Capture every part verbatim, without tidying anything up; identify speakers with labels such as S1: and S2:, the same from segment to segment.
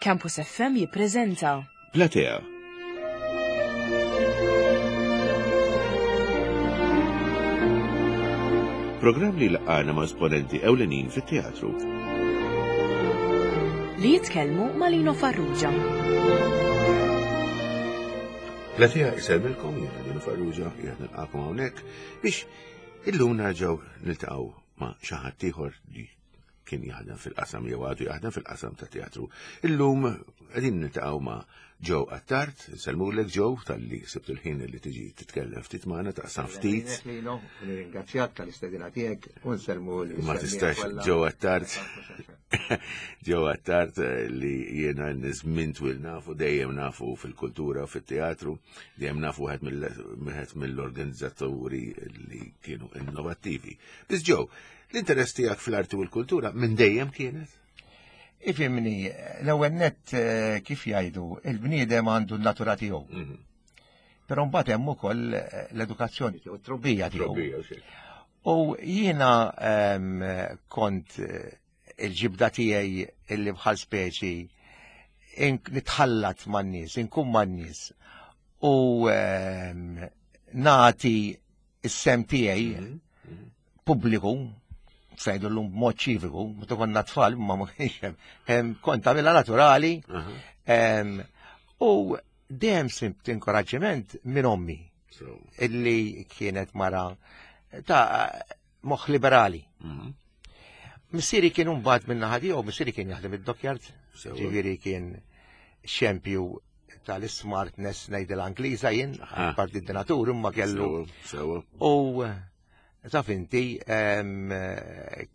S1: Campus F M jippreżenta
S2: Platea. Programm li laqana ma' esponenti ewlenin fit-teatru.
S1: Li jitkellmu ma' Lino Farrugia.
S2: Platea isellmilkom, jiena Lino Farrugia, jiena nilqakom hawnhekk biex illum nerġgħu niltaqgħu ma' xi ħadd ieħor li kien jaħdem fil-qasam jew għadu jaħdem fil-qasam ta' teatru. Illum qegħdin niltaqgħu ma' Joe Attard. Insellmulek, Joe, talli sibt il-ħin li tiġi titkellem ftit magħna, taqsam ftit.
S3: Lino, nirringrazzjak tal-istedina tiegħek u nsellmu l
S2: Ma tistax, Joe Attard. Joe Attard eh, li jiena żmien twil nafu, dejjem nafu fil-kultura u fit-teatru, dejjem nafu wieħed mill- mill-organizzaturi li kienu innovattivi. Biss Joe, l-interess tiegħek fl-arti u l-kultura minn dejjem kienet?
S3: Ifhimni, l-ewwel net eh, kif jgħidu, il-bniedem għandu n-natura tiegħu.
S2: Mhm.
S3: Però mbagħad hemm ukoll eh, l-edukazzjoni tiegħu, t-trobbija tiegħu.
S2: Trobbija, xejn.
S3: U jiena em, kont eh, il-ġibda tiegħi illi bħal speċi nitħallat man-nies, inkun man-nies u em, nagħti is-sehem tiegħi
S2: Mhm. Mhm.
S3: pubbliku, ngħidu llum b'mod ċiviku, meta konna tfal, ma ma kienx hemm, hemm kont għamilha naturali,
S2: Aha.
S3: em, u dejjem sibt inkoraġġiment minn ommi,
S2: So,
S3: illi kienet mara ta' moħħ liberali.
S2: mhm.
S3: Missieri kien mbagħad minn naħa tiegħu, missieri kien jaħdem id-dockyard,
S2: Sewa.
S3: ġifieri kien xempju tal-smartness, ngħid l-Angliża jien,
S2: Aha.
S3: parti d-donatur, imma kellu.
S2: Sewa, sewa.
S3: U taf inti em,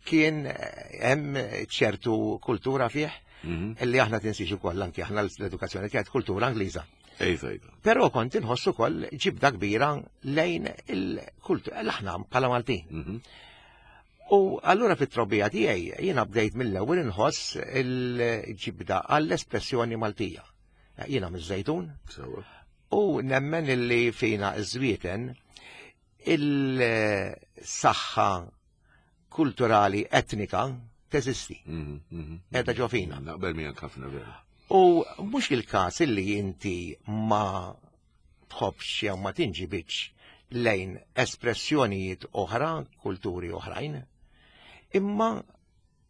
S3: kien hemm ċertu kultura fih
S2: Mhm.
S3: illi aħna tinsiex ukoll anki aħna l-edukazzjoni kienet kultura Angliża.
S2: Ejfa, ejfa.
S3: Però kont inħossu ukoll ġibda kbira lejn il-kultura aħna bħala Maltin.
S2: Mhm.
S3: U allura fit-trobbija tiegħi jiena bdejt mill-ewwel inħoss il-ġibda għall-espressjoni Maltija. Jiena miż-Żejtun
S2: Sewa.
S3: u nemmen illi fina iż-Żwieten il-saħħa kulturali etnika teżisti.
S2: Mhm, mhm.
S3: Qiegħda ġo fina.
S2: Naqbel miegħek ħafna, vera.
S3: U mhux il-każ illi inti ma tħobbx jew ma tinġibitx lejn espressjonijiet oħra, kulturi oħrajn, imma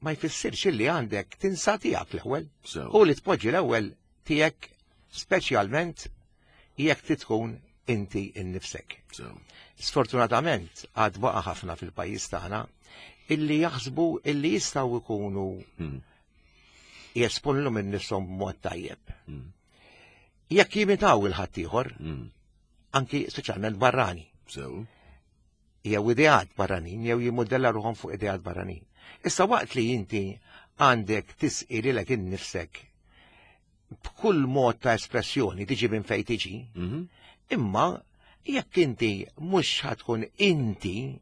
S3: ma jfissirx illi għandek tinsa tiegħek l-ewwel.
S2: Sewa.
S3: U li tpoġġi l-ewwel tiegħek, speċjalment jekk titkun inti innifsek.
S2: Sewa.
S3: Sfortunatament għad baqa' ħafna fil-pajjiż tagħna illi jaħsbu illi jistgħu jkunu
S2: Mhm.
S3: jesponu minn nifshom b'mod tajjeb.
S2: Mhm.
S3: Jekk jimitaw il-ħaddieħor,
S2: Mhm.
S3: anki speċjalment barrani,
S2: Sewa.
S3: jew ideat barranin, jew jimmodella ruħhom fuq ideat barranin. Issa waqt li inti għandek tisqi lilek innifsek b'kull mod ta' espressjoni, tiġi minn fejn tiġi,
S2: Mhm.
S3: imma jekk inti mhux ħa tkun inti,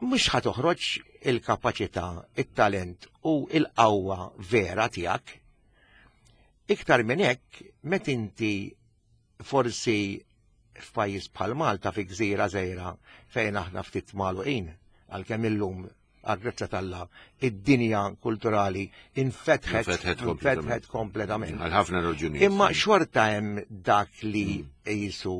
S3: mhux ħa toħroġ il-kapaċità, it-talent u il-qawwa vera tiegħek. Iktar minn hekk, meta inti forsi f'pajjiż bħal Malta, fi gżira żgħira fejn aħna ftit magħluqin, għalkemm illum għal-grazzja t'Alla id-dinja kulturali infetħet
S2: Infetħet
S3: infetħet kompletament.
S2: Għal ħafna raġunijiet.
S3: Imma xorta hemm dak li jisu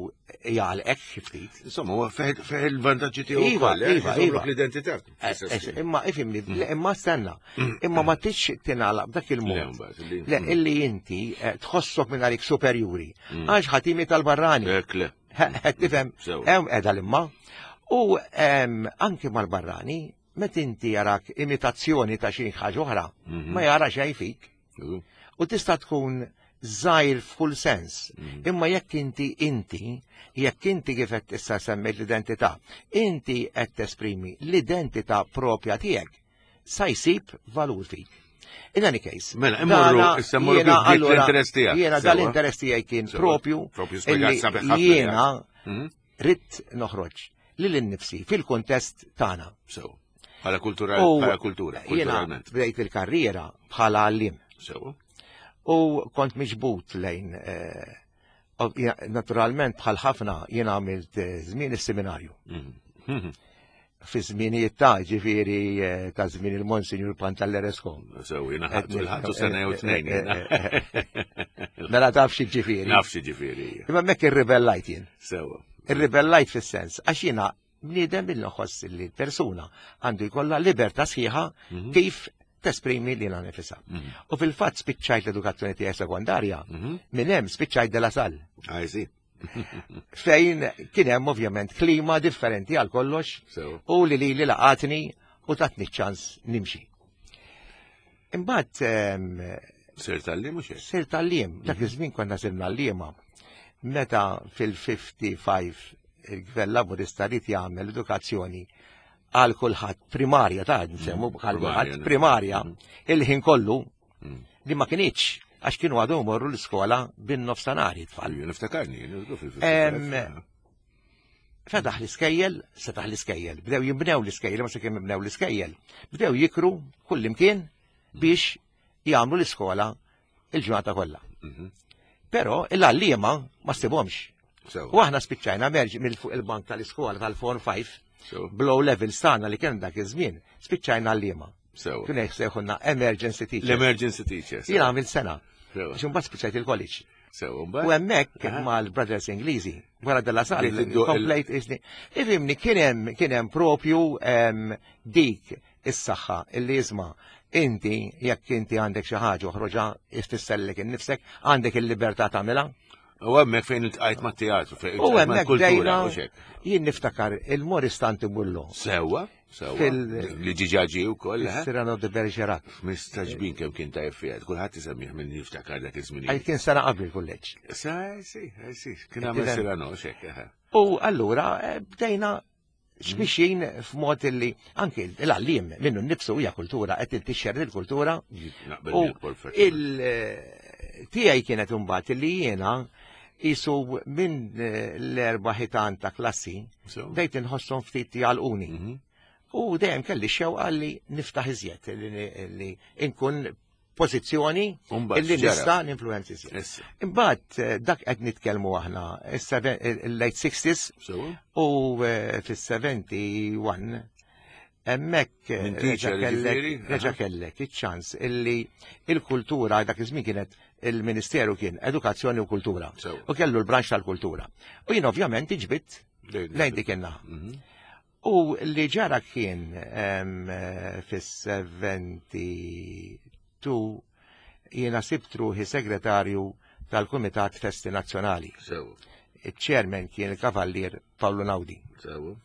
S3: jgħalqek xi ftit.
S2: Insomma, huwa fih fih il-vantaġġi tiegħu
S3: Iva,
S2: wkoll, eh?
S3: iva,
S2: Iżommlok
S3: iva.
S2: l-identità.
S3: Eh, eh, Imma ifhimni, le, imma stenna, imma ma tix tingħalaq b'dak
S2: Le,
S3: il-mod.
S2: mbagħad, li-
S3: Le, illi inti eh, tħossok minn għalik superjuri, għax ħa timita l-barrani.
S2: Ek le.
S3: Qed tifhem,
S2: Sewa.
S3: hemm qiegħda l-imma. U em, anki mal-barrani, meta inti jarak imitazzjoni ta' xi ħaġa oħra,
S2: Mhm.
S3: ma jara xejn fik.
S2: Mhm.
S3: U tista' tkun żgħir f'kull sens. Imma jekk inti inti, jekk inti kif qed issa semmejt l-identità, inti qed tesprimi l-identità propja tiegħek, sa jsib valur fik. In any case,
S2: Mela, immorru-
S3: dana
S2: issa mmorru
S3: jiena
S2: kif bdiet
S3: allura-
S2: l-interess tiegħek.
S3: Jiena
S2: Sewa.
S3: dal-interess tiegħi kien
S2: Sewa.
S3: propju
S2: Propju spjegat
S3: illi
S2: sabiħ ħafna.
S3: jiena
S2: Mhm.
S3: ridt noħroġ lil innifsi fil-kuntest tagħna.
S2: Sewa. Bħala kultura,
S3: U
S2: bħala kultura,
S3: jiena
S2: kulturalment.
S3: bdejt il-karriera bħala għallim.
S2: Sewa.
S3: U kont miġbut lejn, eh, ov- ja- naturalment bħal ħafna jiena għamilt eh, żmien is-seminarju.
S2: Mhm. Mhm.
S3: Fi żminijiet ta' ġifieri eh, ta' żmien il-Monsinjur Pantalleresco.
S2: Sew, jiena ħadtu l-ħadtu sena jew tnejn. jiena.
S3: Mela taf xi ġifieri.
S2: Naf xi ġifieri.
S3: Imma hemmhekk irribellajt jien.
S2: Sewa.
S3: Irribellajt fis-sens għax jiena bniedem bil nħoss li l-persuna għandu jkollha libertà sħiħa
S2: Mhm.
S3: kif tesprimi lilha nifisha. U fil-fatt spiċċajt l-edukazzjoni tiegħi sekondarja,
S2: Mhm.
S3: minn hemm spiċċajt De La Salle.
S2: I see.
S3: Fejn kien hemm ovvjament klima differenti għal kollox
S2: Sewa.
S3: u li li li laqatni u tatni ċans nimxi. Imbagħad em,
S2: Sirt għalliem mhux hekk?
S3: sirt għalliem, dak iż-żmien konna sirna għalliema. Meta fil-ħamsa u ħamsin il-Gvern Laburista ried jagħmel edukazzjoni għal kulħadd primarja ta' nsemmu għal kulħadd primarja il-ħin kollu li ma kienx għax kienu għadhom morru l-iskola bin-nofstanhar tfal.
S2: Ejju, Niftakarni, jien fil
S3: Em, Fetaħ l-iskejjel, fetaħ l-iskejjel, bdew jimbnew l-iskejjel, ma kemm jibnew l-iskejjel, bdew jikru kull imkien biex jagħmlu l-iskola il-ġurnata kollha. Però il-għalliema ma ssibhomx.
S2: Sewa.
S3: U aħna spiċċajna merġ mill fuq il-bank tal-iskola tal-Form five,
S2: Sewa.
S3: bl-O level tagħna li kien dak iż-żmien, spiċċajna għalliema.
S2: Sewa.
S3: Kien hekk sejħulna emergency teachers.
S2: L-emergency teachers.
S3: Jien għamil sena.
S2: Sewa.
S3: Għax imbagħad spiċċajt il-college.
S2: Sewa,
S3: U
S2: mbagħad.
S3: hemmhekk mal-Brothers Ingliżi, wara De La Salle,
S2: Bdejt iddu il-
S3: komplejt isni. Ifhimni kien hemm kien hemm propju em, dik is-saħħa illi isma' inti jekk inti għandek xi ħaġa oħroġha ifissellek innifsek, għandek il-libertà tagħmilha.
S2: U hemmhekk fejn iltqajt mat-teatru, fejn
S3: U
S2: iltqajt
S3: hemmhekk
S2: mal-kultura,
S3: bdejna
S2: u xek.
S3: jien niftakar il-Maurice Tanti Bullo,
S2: Sewa, sewa.
S3: Fil-
S2: Li ġiġaġi u koll, eh?
S3: Cyrano de Bergerac.
S2: Mistaġbin kemm kien tajjeb fiha, kulħadd isemmih minn jiftakar dak iż-żmien.
S3: Għaj kien sena qabel il-kulleġġ.
S2: Sa, si, si, kien għamel
S3: Kien-
S2: Cyrano, xek, eh.
S3: U allura eh, bdejna xmixin f'mod li anki l-għallim minnu nnifsu hija kultura, qed tixxer il-kultura.
S2: Naqbel
S3: U
S2: miegħek perfett.
S3: il tiegħi kienet imbagħad li jiena isu minn eh, l-erba' ħitan ta' klassi
S2: Sewa.
S3: bdejt inħosshom ftit jgħalquni.
S2: Mhm.
S3: U dejjem kelli xewqa li niftaħ iżjed, li, li nkun pożizzjoni
S2: U mbagħad
S3: illi
S2: x'ġara?
S3: nista' ninfluenzi iżjed.
S2: Issa.
S3: Imbagħad eh, dak qed nitkellmu aħna is-seven- il-late sixties
S2: Sewa.
S3: u eh, fis-sebgħa u sebgħin hemmhekk eh,
S2: Minn
S3: reġa'
S2: teacher,
S3: kellek
S2: ġifieri?
S3: reġa'
S2: Aha.
S3: kellek iċ-ċans illi il-kultura dak iż-żmien kienet il-Ministeru kien Edukazzjoni u Kultura
S2: Sewa.
S3: u kellu l-branch tal-kultura. U jien ovvjament iġbit
S2: Lejn-
S3: lejn dik in-naħa.
S2: Mhm.
S3: U li ġara kien em, eh, fis-sebgħa u sebgħin jiena sibt ruħi segretarju tal-Kumitat Festi Nazzjonali.
S2: Sewa.
S3: Il-chairman kien il-Kavallier Paolo Naudi.
S2: Sewa.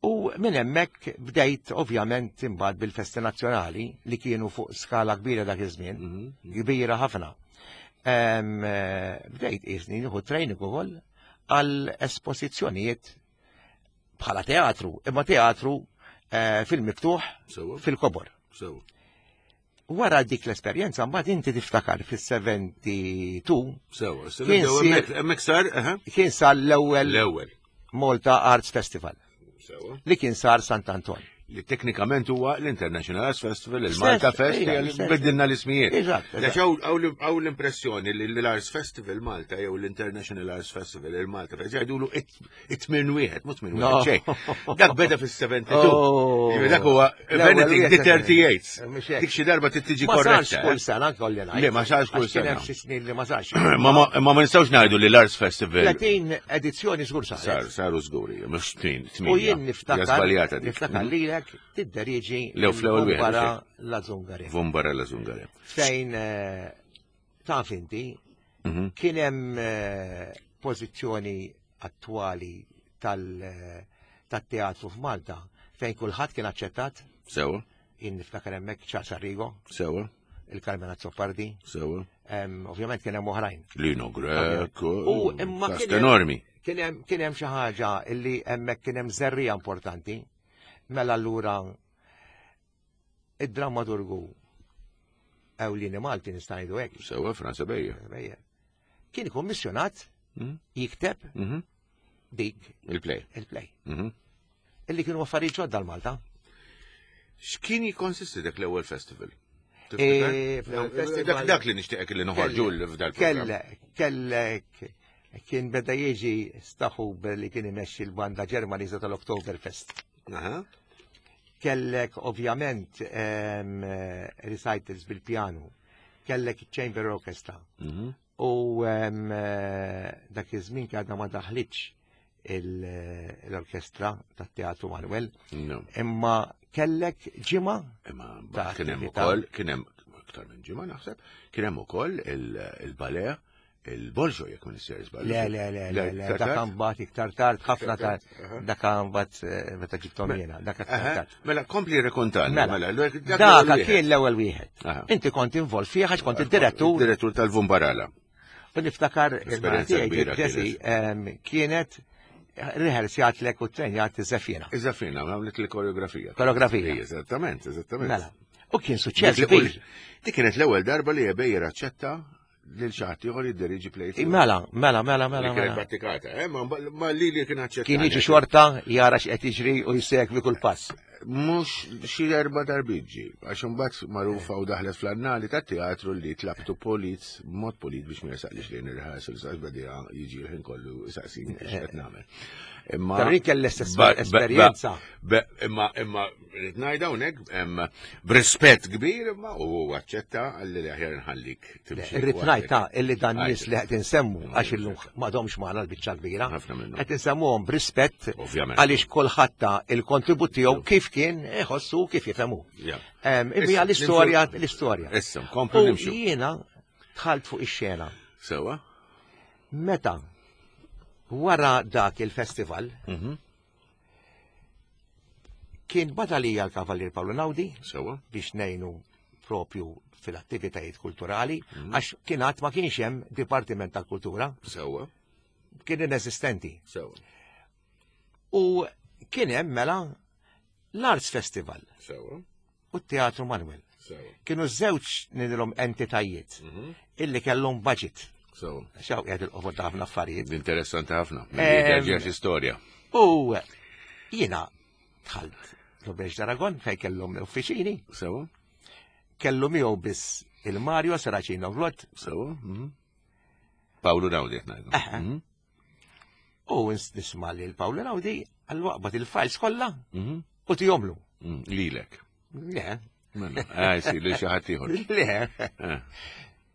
S3: U minn hemmhekk bdejt ovvjament imbagħad bil-festi nazzjonali li kienu fuq skala kbira dak iż-żmien,
S2: Mhm.
S3: kbira ħafna. Em, eh, Bdejt isni nieħu training ukoll għal esposizzjonijiet bħala teatru, imma teatru eh, fil-miftuħ
S2: Sewa.
S3: fil-kobor.
S2: Sewa.
S3: Wara dik l-esperjenza mbagħad inti tiftakar fis-sebgħa u sebgħin
S2: Sewa.
S3: Kien sir-
S2: Hemmhekk sar, aha.
S3: kien sar l-ewwel
S2: L-ewwel.
S3: Malta Arts Festival
S2: Sewa.
S3: li kien sar Sant Anton.
S2: Li teknikament huwa l-International Arts Festival, il-Malta
S3: Stess,
S2: Fest,
S3: ija,
S2: li
S3: stess.
S2: biddilna l-ismijiet.
S3: Eżatt, eżatt.
S2: Għax hawn hawn l-impressjoni li l-Arts Festival Malta jew l-International Arts Festival il-Malta Fest jgħidulu it-tmien wieħed, mhux tmien
S3: No.
S2: wieħed xejn. Dak beda fis-sebgħa u sebgħin.
S3: Oh.
S2: Jiġifieri dak huwa if
S3: L-ewwel
S2: anything
S3: wieħed
S2: the thirty-eight.
S3: Mhux hekk.
S2: Dik xi darba trid tiġi
S3: Ma sarx
S2: korretta.
S3: kull
S2: eh?
S3: sena kolli ngħid.
S2: Le, ma sarx kull
S3: Għax kien
S2: sena.
S3: hemm xi snin li ma sarx.
S2: Ma ma ma ma nistgħux ngħidu li l-Arts Festival
S3: tletin edizzjoni żgur
S2: sar
S3: saret.
S2: saru żguri, mhux tnejn, tmien.
S3: U jien niftakar
S2: Żbaljata dik.
S3: niftakar lilek tidderieġi
S2: Lew fl-ewwel wieħed,
S3: Vumbara
S2: mhux
S3: la Zungare.
S2: Vumbara la Zungare.
S3: Fejn eh, taf inti
S2: Mhm.
S3: kien hemm eh, pożizzjoni attwali tal- eh, tat-teatru f'Malta fejn kulħadd kien aċċettat.
S2: Sewa,
S3: Jien niftakar hemmhekk Charles Arrigo,
S2: sewa,
S3: il-Carmen Azzopardi,
S2: sewa.
S3: em, ovvjament kien hemm oħrajn.
S2: Lino Grech,
S3: U imma
S2: cast
S3: kien hemm-
S2: enormi.
S3: Kien hemm kien hemm xi ħaġa illi hemmhekk kien hemm żerrija importanti. Mela allura id-drammaturgu ewlieni Malti nista' ngħidu hekk.
S2: Sewa, Franz Ebejer.
S3: Kien ikkummissjonat
S2: Mhm.
S3: jikteb
S2: Mhm.
S3: dik
S2: Il-play.
S3: il-play.
S2: Mhm.
S3: Illi kienu affarijiet ġodda l-Malta.
S2: X'kien jikonsisti dak l-ewwel festival?
S3: E,
S2: Tiftakar?
S3: fl-ewwel festival-
S2: Dak dak li nixtieqek li noħorġu f'dal programm.
S3: Kellek, kellek, kien beda jiġi Staħub li kien imexxi l-banda Ġermaniża tal-Oktoberfest.
S2: Aha.
S3: Kellek ovvjament em, eh, recitals bil-pjanu, kellek chamber orchestra.
S2: Mhm.
S3: U em, eh, dak iż-żmien għadna ma daħlitx il- l-orkestra tat-Teatru Manuel,
S2: No.
S3: imma kellek ġimgħa
S2: Imma
S3: Ta'
S2: kien hemm
S3: attività.
S2: ukoll, kien hemm iktar minn ġimgħa naħseb, kien hemm ukoll il- il-ballet, il-Bolġo jekk minn issir żball.
S3: Le, le, le, le, le, dak mbagħad iktar tard, ħafna tard,
S2: Aha.
S3: dak mbagħad eh, meta ġibthom jiena, dak iktar tard.
S2: Mela, kompli rekontan.
S3: Mela,
S2: Mela,
S3: dak kien l-ewwel wieħed.
S2: Aha.
S3: Inti kont involt fih għax kont id-direttur
S2: Direttur tal-Vumbarala.
S3: U niftakar
S2: Esperjenza kbira
S3: Jesse em, kienet rehearsjatlek u trenjat iż-żeffina.
S2: Iżafina, għamlet il-koreografija.
S3: Koreografija.
S2: Eżattament, eżattament.
S3: Mela. U kien suċċess
S2: Dik li-
S3: kbir.
S2: Dik kienet l-ewwel darba li Ebejer aċċetta lil xi ħadd ieħor jidderieġi play. tiegħu.
S3: Mela, mela, mela, mela,
S2: Li kienet
S3: mela.
S2: prattikata, eh, ma ma li li kien aċċetta.
S3: Kien jiġi xorta jara x'qed jiġri u jsegwi kull pass.
S2: Mhux xi erba' darbiet ġie, għax imbagħad magħrufa u daħlet fl-annali tat-teatru li tlabtu polit, mod polit biex ma jesaqlix lejn ir-rehearsals għax beda jiġi l-ħin kollu saqsini x'qed nagħmel. Imma
S3: Però jien kelli l-istess
S2: Ba- ba-
S3: esperjenza.
S2: ba- Imma imma rrid ngħid hawnhekk em, b'rispett kbir imma u aċċetta għalli li aħjar nħallik timxi.
S3: Irrid ngħid ta' illi dan
S2: Għajt.
S3: nies li qed insemmu għax illum m'għadhomx magħna l-biċċa kbira.
S2: Ħafna minnhom.
S3: Qed insemmuhom b'rispett
S2: Ovvjament.
S3: għaliex kulħadd ta' il-kontribut tiegħu kif kien iħossu kif jifhemu.
S2: Ja.
S3: Em,
S2: Issa,
S3: Imma l-istorja
S2: nimxu-
S3: l-istorja.
S2: Issa, nkomplu
S3: U
S2: nimxu.
S3: jiena dħalt fuq ix-xena.
S2: Sewa?
S3: Meta wara dak il-festival
S2: Mhm.
S3: kien batalija l-Kavalier Paolo Naudi
S2: Sewa?
S3: biex nejnu propju fil-attivitajiet kulturali, għax kien għad ma kienx hemm Dipartiment tal-Kultura,
S2: Sewa?
S3: kien inesistenti.
S2: Sewa?
S3: U kien hemm mela l-Arts Festival
S2: Sewa?
S3: u t-Teatru Manuel.
S2: Sewa?
S3: Kienu żewġ nidilhom entitajiet
S2: Mhm.
S3: illi kellhom budget.
S2: Sewa?
S3: Xaw qiegħed il-qofol ta' ħafna affarijiet.
S2: Interessanti ħafna.
S3: Em,
S2: Ġeġ istorja.
S3: U jiena dħalt l-Obex d'Aragon fejn kellhom uffiċini,
S2: Sewa?
S3: kellu miegħu biss il-Mario Serracino Vlot
S2: Sewa? Mhm. Paolo Naudi qed ngħidu.
S3: Aha.
S2: Mhm.
S3: u nisma' li l-Paolo Naudi għal-waqbad il-files kollha
S2: Mhm.
S3: u tihomlu.
S2: Mm, Lilek.
S3: Le,
S2: Mela, ah, si, li xi ħadd ieħor.
S3: le.
S2: Eh,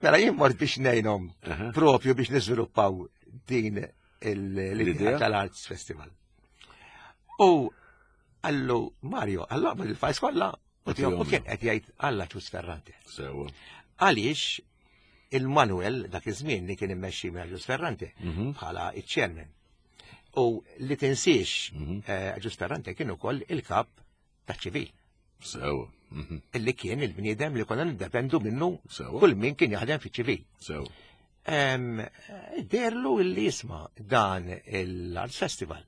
S3: Mela jien mort biex ngħinhom
S2: aha.
S3: propju biex niżviluppaw din il- l-idea
S2: L-idea?
S3: tal-Arts Festival. U għallu Mario, għallu għabad il-files kollha u tihom u kien qed jgħid għalla Ġus Ferrante.
S2: Sewa.
S3: Għaliex il-Manuel dak iż-żmien li kien immexxi minn Ġus Ferrante
S2: Mhm.
S3: bħala iċ-chairman. U li tinsiex
S2: Mhm.
S3: eh, Ġus Ferrante kien ukoll il-kap taċ-ċivil
S2: Sewa. Mhm.
S3: illi kien il-bniedem li konna niddependu minnu
S2: Sewa.
S3: kull min kien jaħdem fiċ-ċivil.
S2: Sewa.
S3: Em, Derlu illi jisma dan l-Arts Festival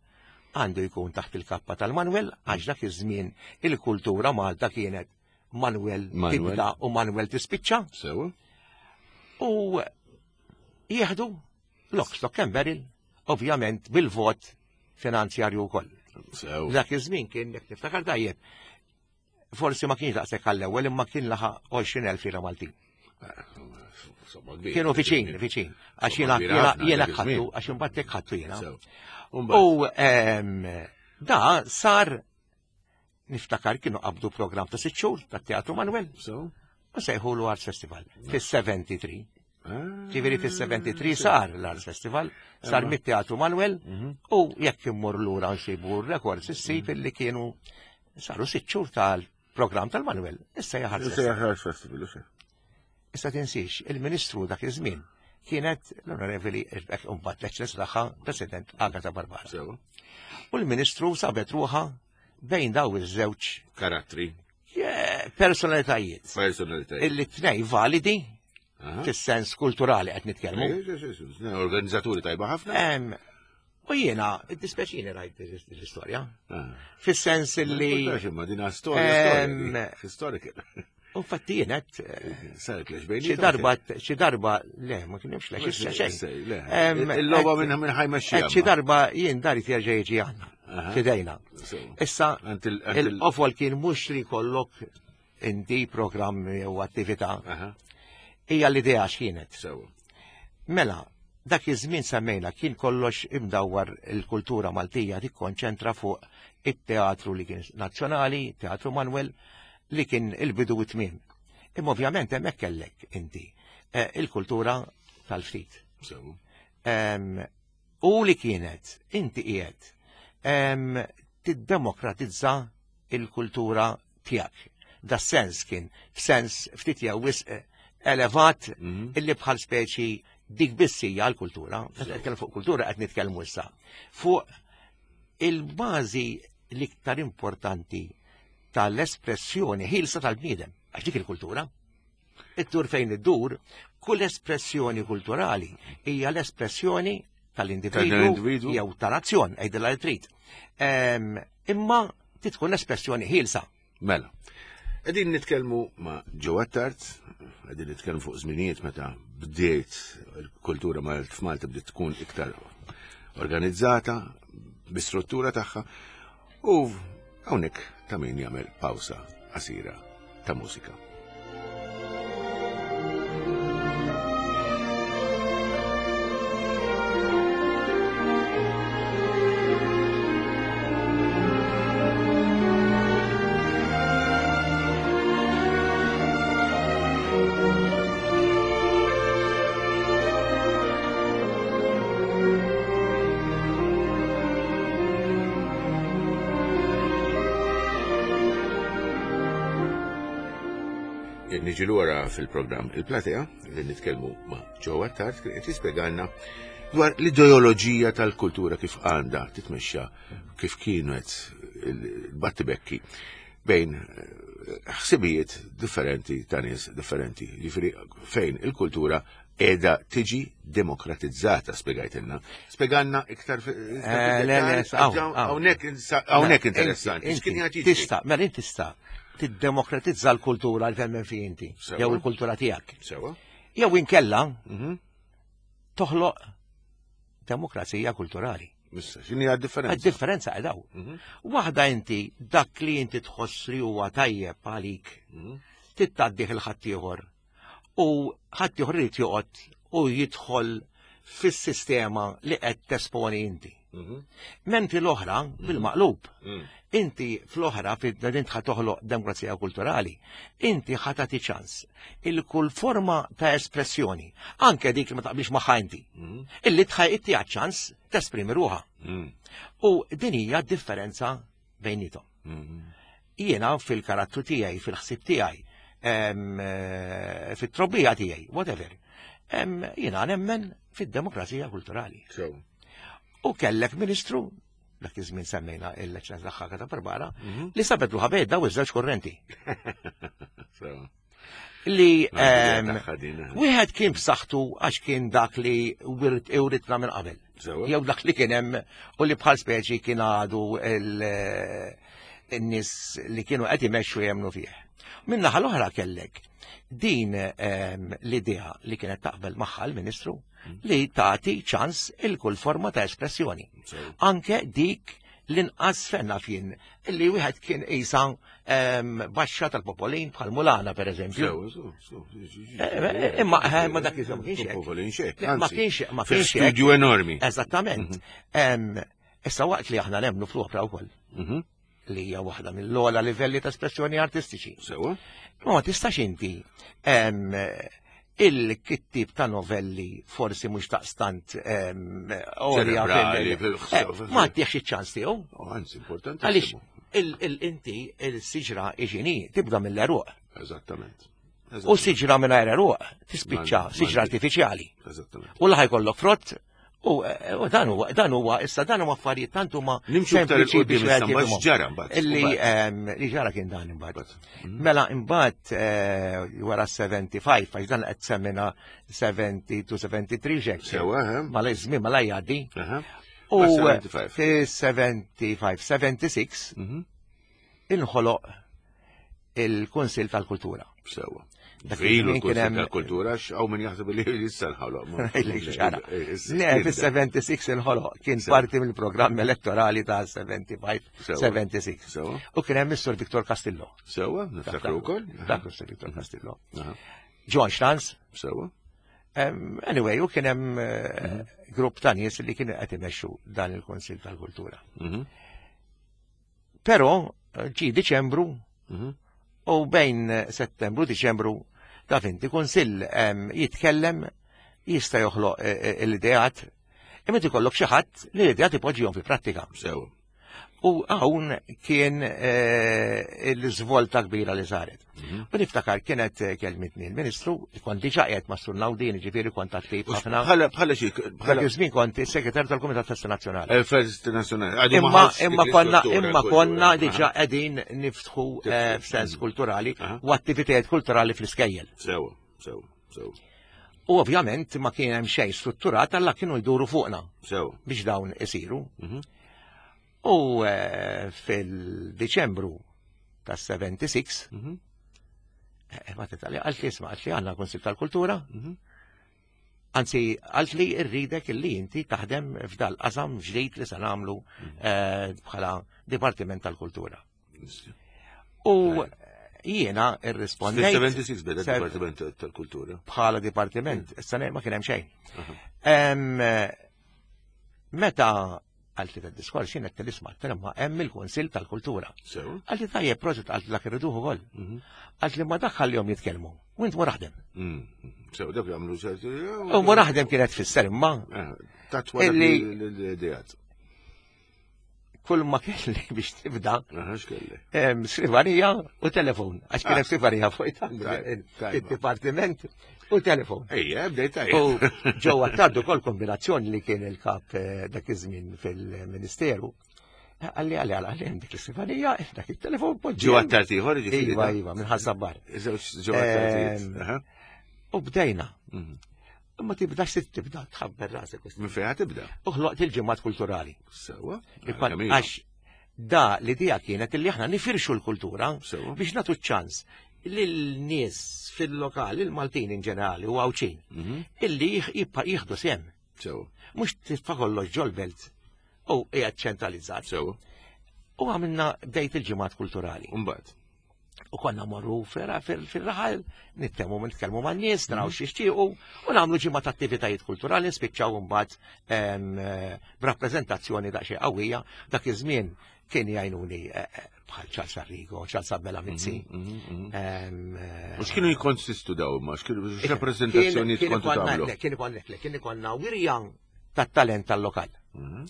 S3: għandu jkun taħt il-kappa tal-Manuel għax dak iż-żmien il-kultura Malta kienet Manuel
S2: Manuel.
S3: tibda u Manuel tispiċċa
S2: Sewa.
S3: u jieħdu lock, stock and barrel, ovvjament bil-vot finanzjarju wkoll.
S2: Sewa.
S3: Dak iż-żmien kien jekk niftakar tajjeb. Forsi ma kienx daqshekk għall-ewwel imma kien laħaq għoxrin elf lira Maltin.
S2: Somma kbir.
S3: Kienu viċin, viċin. Għax jiena
S2: Kbira
S3: jiena
S2: ħafna
S3: jiena
S2: dak
S3: ħattu,
S2: iż-żmien.
S3: għax imbagħad hekk ħattu jiena.
S2: Sewa. Umbagħad.
S3: U em, da sar niftakar kienu qabdu program ta' sitt xhur tat-Teatru Manuel
S2: Sewa.
S3: u sejħulu Arts Festival fis-sebgħa u sebgħin.
S2: Ah.
S3: Ġifieri fis-sebgħa u sebgħin sar l-Arts Festival, sar
S2: Imma.
S3: mit-Teatru Manuel
S2: Mhm.
S3: u jekk immur lura nsibu r-records issib illi kienu saru sitt xhur tal-programm tal-Manuel. Issa hija Arts
S2: Issa
S3: Festival.
S2: Arts Festival, issa.
S3: Issa tinsiex, il-Ministru dak iż-żmien kienet l-Onorevoli mbagħad l-Eċċellenza tagħha President Agata Barbara.
S2: Sewa.
S3: U l-Ministru sabet ruħha bejn daw iż-żewġ
S2: Karattri,
S3: eh, personalitajiet
S2: personalitajiet.
S3: illi tnej validi
S2: Aha.
S3: fis-sens kulturali qed nitkellmu.
S2: Eh, sì, sì, sì. Organizzaturi tajba ħafna.
S3: Em, U jiena, id-dispeċini rajt l-istorja.
S2: Ah.
S3: Fis-sens illi,
S2: Ma imma dina storja,
S3: Em,
S2: storja. di. Historical.
S3: infatti jienet, eh,
S2: Saret lex bejni.
S3: xi darba, xi darba, le, ma kienx lex, issa xejn.
S2: Le,
S3: Em,
S2: il-loba
S3: qed-
S2: minn minn ħajmexxija.
S3: Qed xi darba jien dari jerġa' jiġi għandna,
S2: Aha.
S3: fidejna. Issa,
S2: Għand il- għand il-
S3: il-qofol kien mhux li kollok inti programm jew attività,
S2: Aha,
S3: hija l-idea x'kienet.
S2: sewa.
S3: Mela, Dak iż-żmien semmejna kien kollox imdawwar il-kultura Maltija tikkonċentra fuq it-teatru li kien nazzjonali, Teatru Manuel, li kien il-bidu u tmiem. Imma ovvjament hemmhekk kellek inti eh, il-kultura tal-ftit.
S2: Sewa.
S3: Em, U li kienet inti qiegħed em, tiddemokratizza il-kultura tiegħek. Da sens kien f'sens ftit jew wisq eh, elevat
S2: Mhm.
S3: illi bħal speċi dik biss hija l-kultura. Meta nitkellem fuq kultura qed nitkellmu issa. Fuq il-bażi l-iktar importanti tal-espressjoni ħilsa tal-bniedem, għax dik il-kultura. Iddur fejn iddur, kull espressjoni kulturali hija l-espressjoni tal-individu
S2: Tal-individu.
S3: jew ta' nazzjon, għidilha li trid. Em, Imma titkun espressjoni ħilsa.
S2: Mela. Qegħdin nitkellmu ma' Joe Attard, qegħdin nitkellmu fuq żminijiet meta bdiet il-kultura Malt f'Malta bdiet tkun iktar organizzata, bi struttura tagħha, u hawnhekk ta' min jagħmel pawsa qasira ta' mużika. Niġi lura fil-programm Il-Platea, li nitkellmu ma' Joe Attard, kien qed jispjegalna dwar l-ideoloġija tal-kultura kif għandha titmexxa kif kienet il-battibekki bejn eh, ħsibijiet differenti ta' nies differenti. Jiġifieri fejn il-kultura qiegħda tiġi demokratizzata, spjegajtilna. Spjegalna iktar fi- iktar
S3: Eh, le, le,
S2: fid-dettall,
S3: hawn, hawn.
S2: hawnhekk insa- hawnhekk interessanti.
S3: Inti-
S2: X'kien qiegħed jiġri?
S3: Tista, mela inti tista tiddemokratizza l-kultura li temmen fi inti,
S2: Sewa.
S3: jew il-kultura tiegħek.
S2: Sewa.
S3: Jew inkella
S2: Mhm.
S3: toħloq demokrazija kulturali.
S2: Issa, x'inhi għad-differenza?
S3: Għad-differenza għadaw.
S2: Mhm.
S3: Waħda inti dak li inti tħoss li huwa tajjeb għalik
S2: Mhm.
S3: tittaddih il-ħaddieħor u ħaddieħor irid joqgħod u jidħol fis-sistema li qed tesponi inti.
S2: Mhm.
S3: Mentri l-oħra bil-maqlub.
S2: Mm.
S3: Inti fl-oħra, fid-din ħa toħloq demokrazija kulturali, inti ħa tagħti ċans il kull forma ta' espressjoni, anke dik li ma taqblix magħha inti,
S2: Mhm.
S3: illi tħaj inti ċans tesprimi ruħha.
S2: Mm.
S3: U din hija differenza bejnietom.
S2: Mhm.
S3: Jiena fil-karattru tiegħi, fil-ħsieb tiegħi, em, eh, fit-trobbija tiegħi, whatever, em, jiena nemmen fid-demokrazija kulturali.
S2: Sewa.
S3: U kellek ministru, dak iż-żmien semmejna l-eċċellenza tagħha ta' Barbara,
S2: Mhm.
S3: li sabet ruħha bejn daw iż-żewġ kurrenti.
S2: Sewa.
S3: Li
S2: Għandi
S3: em,
S2: tagħha din, eh.
S3: wieħed kien b'saħħtu għax kien dak li wirt iwritna minn qabel.
S2: Sewa.
S3: Jew dak li kien hemm u li bħal speċi kien għadu il- in-nies li kienu qed imexxu jemnu fih. Min-naħa l-oħra kellek din em, l-idea li kienet taqbel magħha l-Ministru li tagħti ċans il kull forma ta' espressjoni.
S2: Sewa.
S3: Anke dik l-inqas fenna fien illi wieħed kien qisha em, baxxa tal-popolin bħal Mulana per eżempju.
S2: Sewa, sewa, sewa.
S3: Eh, eh, Imma eh, ma dak iż-żmien ma kienx hekk.
S2: Popolin xek,
S3: Ma
S2: anzi.
S3: kienx ma
S2: Fi
S3: kienx hekk.
S2: Studio enormi.
S3: Eżattament. Em, Issa waqt li aħna nemmnu fl-opra wkoll
S2: Mhm.
S3: li hija waħda mill-ogħla livelli ta' espressjoni artistiċi.
S2: Sewa.
S3: Ma ma tistax inti em, il-kittib ta' novelli forsi mhux taqstant em, għolja
S2: Ċerebrali,
S3: fil-
S2: fil-
S3: Eh, ma tieħx iċ-ċans tiegħu.
S2: Oh, anzi, importanti.
S3: Għaliex il- il- inti il-siġra iġini tibda mill-eruq.
S2: Eżattament.
S3: U siġra mingħajr eruq tispiċċa
S2: Man-
S3: siġra
S2: man-
S3: artifiċjali.
S2: Eżattament.
S3: U laħ jkollok frott u u dan huwa dan huwa issa dan huma affarijiet tant huma
S2: Nimxu iktar
S3: sempliċi
S2: il-qudiem
S3: biex
S2: issa,
S3: wieħed
S2: mbagħad
S3: jifhimhom.
S2: x'ġara mbagħad?
S3: Illi
S2: Mbagħad.
S3: em, li ġara kien dan imbagħad.
S2: Mbagħad.
S3: Mela imbagħad eh, wara sebgħa u sebgħin għax dan qed semmina sebgħa u sebgħin tlieta xek.
S2: Sewa, eh?
S3: Mela iż-żmien mela jgħaddi.
S2: Aha.
S3: U
S2: Ma sebgħa u sebgħin.
S3: fi sebgħa u sebgħin, sitta u sebgħin
S2: Mhm.
S3: inħoloq il-Kunsill tal-Kultura.
S2: Sewa.
S3: Dak
S2: Ilu
S3: iż-żmien kien
S2: l-Kunsill
S3: hemm-
S2: tal-Kultura, x'hawn min jaħseb li issa nħoloq.
S3: Ġara. Le, fis-sitta u sebgħin inħoloq kien
S2: Sewa.
S3: parti mill-programm elettorali ta' sebgħa u sebgħin,
S2: Sewa.
S3: sitta u sebgħin.
S2: Sewa.
S3: U kien hemm is-Sur Viktor Castillo.
S2: Sewa, niftakru wkoll.
S3: Niftakru s-Sur Viktor Castillo.
S2: Aha.
S3: John Schranz,
S2: Sewa.
S3: Em, Anyway, u kien hemm eh, grupp ta' nies li kienu qed imexxu dan il-Kunsill tal-Kultura.
S2: Mhm.
S3: Però eh, ġi Diċembru
S2: Mhm.
S3: u bejn Settembru Diċembru taf inti kunsill em, jitkellem jista' joħloq eh, eh, l-ideat imma ikollok xi ħadd li l-ideat ipoġġihom fil-prattika.
S2: Sewa.
S3: U hawn kien eh, il-żvolta kbira li saret.
S2: Mhm.
S3: U niftakar kienet eh, kelmitni l-Ministru, kont diġà qiegħed ma' Sur Naudin, ġifieri kont attiv
S2: U
S3: ħafna.
S2: Bħala bħala xi
S3: Dak
S2: bħala
S3: iż-żmien kont is-segretarju tal-Kumitat Festa Nazzjonali.
S2: il-Fest Nazzjonali. Għadu ma
S3: Imma
S2: ħax
S3: imma
S2: dik
S3: konna
S2: l-istruttura
S3: imma konna
S2: kultura.
S3: diġà
S2: Aha.
S3: qegħdin niftħu eh, f'sens kulturali
S2: Aha.
S3: u attivitajiet kulturali fl-iskejjel.
S2: Sewa, sewa, sewa.
S3: U ovvjament ma kien hemm xejn strutturat alla kienu jduru fuqna
S2: Sewa.
S3: biex dawn isiru.
S2: Mhm.
S3: U eh, fil-Diċembru tas sebgħa u sebgħin
S2: Mhm.
S3: eh, ma titali għalt li isma' għalt li għandna Kunsill tal-Kultura,
S2: Mhm.
S3: anzi għalt li rridek illi inti taħdem f'dal qasam ġdid li se nagħmlu eh, bħala Dipartiment tal-Kultura. U jiena irrispondejt
S2: Fil-sebgħa u sebgħin beda
S3: Se-
S2: Dipartiment tal-Kultura.
S3: bħala dipartiment, issa ma kien hemm xejn.
S2: Aha.
S3: Em, Meta għalt li diskors jien qed nisma' ma hemm il-Kunsill tal-Kultura.
S2: Sewa.
S3: Għalt li tajjeb prosit għalt dak irriduh ukoll.
S2: Mhm.
S3: Għalt li ma daħħallihom jitkellmu. U int mur aħdem.
S2: Mm. Sewa, dak jagħmlu ċerti.
S3: U mur aħdem kienet tfisser imma
S2: Tatwa
S3: Illi-
S2: l-ideat.
S3: kull ma kelli biex tibda
S2: Aha, x'kelli.
S3: em, skrivanija u telefon. Għax kien
S2: Ah.
S3: hemm skrivanija fuq
S2: Tajb, tajba.
S3: il-dipartiment u telefon.
S2: Ejja, bdejt
S3: U
S2: tajjeb.
S3: ġewwa tardu kol kombinazzjoni li kien il-kap eh, dak iż-żmien fil-Ministeru. Għalli għalli għalli għalli dik l-iskrivanija, dak il-telefon poġġi.
S2: Ġewwa tard ieħor jiġifieri.
S3: Iva, iva, minn Ħaż-Żabbar.
S2: Żewġ ġewwa tardijiet.
S3: Em,
S2: Aha.
S3: U bdejna.
S2: Mhm.
S3: Imma tibdax se tibda tħabber rasek.
S2: Minn fejn tibda?
S3: U ħloqt il-ġimgħat kulturali.
S2: Sewa.
S3: Ikon-
S2: Kemm ilu?
S3: Għax da l-idea kienet illi aħna nifirxu l-kultura
S2: Sewa.
S3: biex natu ċans lil-nies fil-lokal, il-Maltin in ġenerali u Għawdxin,
S2: Mhm.
S3: illi jih- jibqa' jieħdu sehem.
S2: Sewa.
S3: Mhux titfa' kollox ġol-belt u qiegħed ċentralizzat.
S2: Sewa.
S3: U għamilna bdejt il-ġimgħat kulturali.
S2: Umbagħad.
S3: U konna morru fil-raħal, nitkellmu nitkellmu man-nies, naraw x'jixtiequ, u nagħmlu ġimgħa ta' attivitajiet kulturali, nispiċċaw imbagħad em, eh, b'rappreżentazzjoni daqsxejn qawwija. Dak iż-żmien kien jgħinuni eh, eh, bħal Charles Arrigo, Charles Abela Mizzi.
S2: Mhm, mhm.
S3: em, eh,
S2: U x'kienu jikkonsistu daw ma x'kienu x'rappreżentazzjonijiet
S3: kien
S2: kontu
S3: ikonna-
S2: tagħmlu?
S3: le, Kien ikonna kien ikonna wirja tat-talent tal-lokal.
S2: Mhm.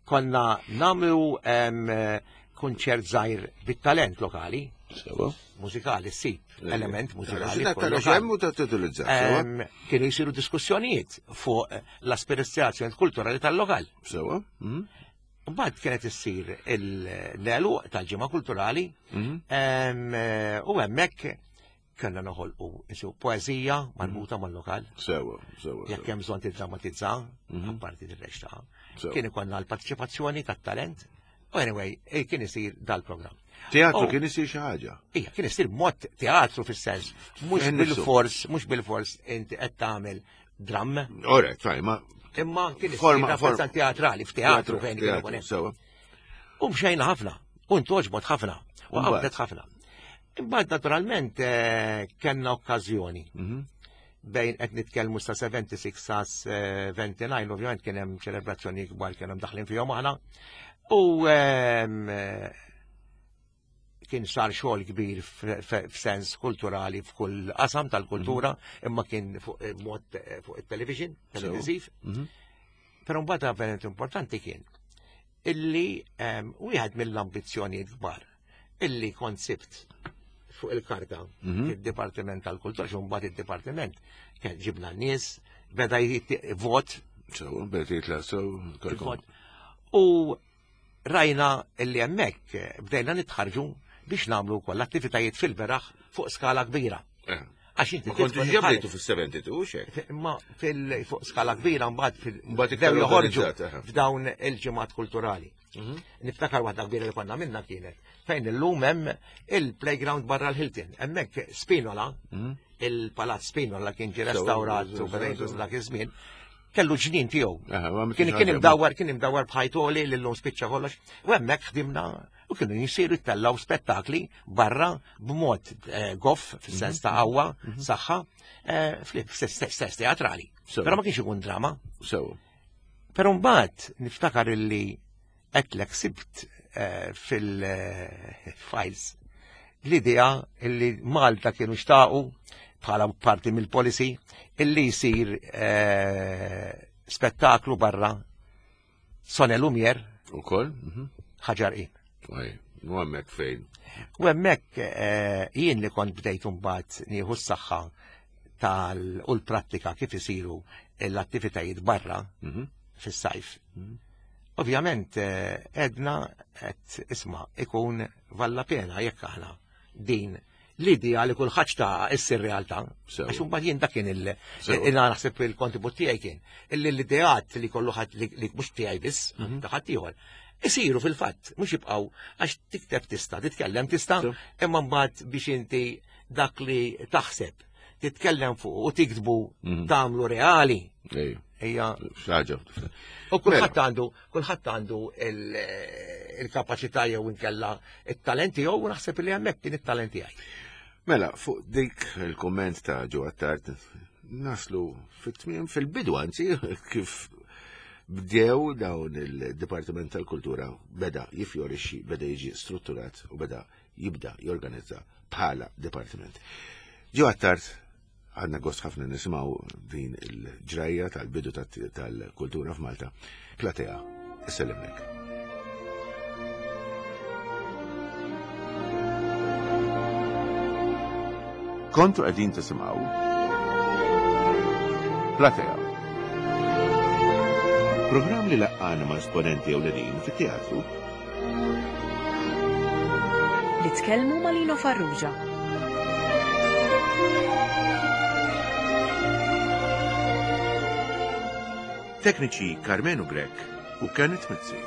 S3: Konna nagħmlu em, eh, kunċert żgħir bit-talent lokali,
S2: Sewa.
S3: mużikali, ssib, element mużikali.
S2: Tara
S3: f'kull lokal.
S2: xemm u ta' titolizzar. Sewa.
S3: Em, Kienu jisiru diskussjonijiet fuq l-aspirazzjoni kulturali tal-lokal.
S2: Sewa. Mhm.
S3: Mbagħad kienet issir l-għeluq tal-ġimgħa kulturali
S2: Mhm.
S3: em, eh, u hemmhekk kellna noħolqu isu poeżija marbuta mal-lokal.
S2: Sewa, sewa.
S3: Jekk hemm bżonn tiddramatizza,
S2: Mhm.
S3: apparti dir-reċta.
S2: Sewa.
S3: Kien ikollna l-partiċipazzjoni tat-talent. U anyway, eh, kien isir dal-programm.
S2: Teatru
S3: Oh.
S2: kien isir xi ħaġa.
S3: Ija, kien isir mod teatru fis-sens, mhux
S2: Fejn nifsu.
S3: bil-fors, mhux bil-fors inti qed tagħmel dramm,
S2: Alright, fine, ma
S3: imma kien isir
S2: Forma-
S3: rappreżent teatrali f'teatru fejn kien ikun hemm.
S2: sewa.
S3: U mxejna ħafna, u ntoġbot ħafna, u
S2: Mbagħad?
S3: qabdet ħafna. Imbagħad naturalment eh, kellna okkażjoni
S2: Mhm.
S3: bejn qed nitkellmu sa sebgħa u sebgħin sa sebgħa u disgħin, ovvjament kien hemm ċelebrazzjoni kbar kien hemm daħlin fihom aħna. U ehm, eh, kien sar xogħol kbir f- f- f'sens kulturali f'kull qasam tal-kultura, imma kien fuq eh, mod eh, fuq it-television, televiżiv.
S2: Mhm.
S3: Però mbagħad avveniment importanti kien illi ehm, wieħed mill-ambizzjonijiet kbar illi kont sibt fuq il-karta
S2: Mhm.
S3: fid-Dipartiment tal-Kultura, xi mbagħad id-Dipartiment kien ġibna n-nies, beda jitti- vot,
S2: Sewa, beda jitla sew.
S3: il-vot. U rajna illi hemmhekk eh, bdejna nitħarġu biex nagħmlu wkoll attivitajiet fil-beraħ fuq skala kbira. Għax inti
S2: Ma kontu
S3: tidħol
S2: ġablejtu fis-sebgħa u sebgħin xek.
S3: Imma fil fuq skala kbira mbagħad fil
S2: Mbagħad iktar
S3: bdew joħorġu
S2: organizzat, aha.
S3: f'dawn il-ġimgħat kulturali. Niftakar waħda kbira li konna minna kienet fejn illum hemm il-playground barra l-Hilton. Hemmhekk Spinola, il-Palazz Spinola kien ġie
S2: Sewa,
S3: restawrat
S2: sewa,
S3: u beda
S2: sewa.
S3: dak iż-żmien, kellu ġnien tiegħu.
S2: Aha, ma
S3: Kien kien imdawwar, kien imdawwar b'ħajtoli li llum spiċċa kollox. U hemmhekk ħdimna U kienu jisiru jtellaw spettakli barra b'mod eh, goff, fis-sens ta' qawwa, saħħa, eh, fl-sens teatrali.
S2: Sewa.
S3: Però ma kienx ikun drama.
S2: Sewa.
S3: Però mbagħad niftakar illi għedtlek sibt eh, fil-files l-idea illi Malta kienu xtaqu bħala parti mill-policy illi jsir eh, spettaklu barra Son et Lumière
S2: U koll? Mhm.
S3: Ħaġar Qim.
S2: Ej, u hemmhekk fejn.
S3: U hemmhekk eh, jien li kont bdejt mbagħad nieħu s-saħħa tal u l-prattika kif isiru l-attivitajiet barra
S2: Mhm.
S3: fis-sajf. Ovvjament eh, edna qed isma' ikun valla pena jekk aħna din l-idea li kulħadd ta' issir realtà.
S2: Sewa.
S3: Għax imbagħad jien dak kien il
S2: Sewa.
S3: il naħseb il-kontribut tiegħi kien illi l-ideat li kollu ħadd li li mhux tiegħi biss,
S2: Mhm.
S3: ta' ħadd ieħor. Isiru fil-fatt, mhux jibqgħu għax tikteb tista', titkellem tista',
S2: Sewa.
S3: imma mbagħad biex inti dak li taħseb, titkellem fuq u tiktbu
S2: Mhm.
S3: tagħmlu reali.
S2: Ej,
S3: Hija
S2: xaġa.
S3: U kulħadd għandu kulħadd għandu il- il-kapaċità jew inkella it-talent tiegħu u naħseb li hemmhekk kien it-talent tiegħi.
S2: Mela, fuq dik il-komment ta' Joe Attard, naslu fit-tmiem fil-bidu, anzi, kif bdew dawn il-Dipartiment tal-Kultura beda jifjorixxi, beda jiġi strutturat u beda jibda jorganizza bħala dipartiment. Joe Attard, għandna gost ħafna nisimgħu din il-ġrajja tal-bidu tat- tal-kultura f'Malta. Platea, issellimlek. Kontu qegħdin tisimgħu Platea. Programm li laqqana ma' esponenti ewlenin fit-teatru
S1: Li tkellmu ma' Lino Farrugia.
S2: Tekniċi Carmenu Grech u Kenneth Mizzi.